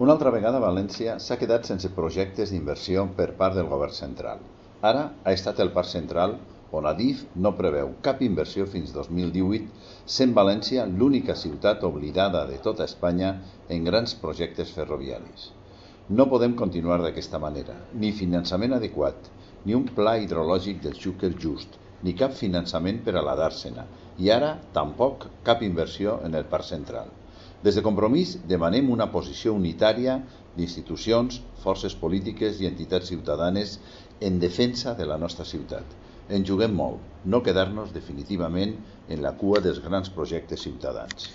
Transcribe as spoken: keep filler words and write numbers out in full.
Una altra vegada València s'ha quedat sense projectes d'inversió per part del govern central. Ara ha estat el Parc Central, on Adif no preveu cap inversió fins dos mil divuit, sent València l'única ciutat oblidada de tota Espanya en grans projectes ferroviaris. No podem continuar d'aquesta manera, ni finançament adequat, ni un pla hidrològic del Xúquer just, ni cap finançament per a la Dàrsena, i ara tampoc cap inversió en el Parc Central. Des de Compromís demanem una posició unitària d'institucions, forces polítiques i entitats ciutadanes en defensa de la nostra ciutat. En juguem molt, no quedar-nos definitivament en la cua dels grans projectes ciutadans.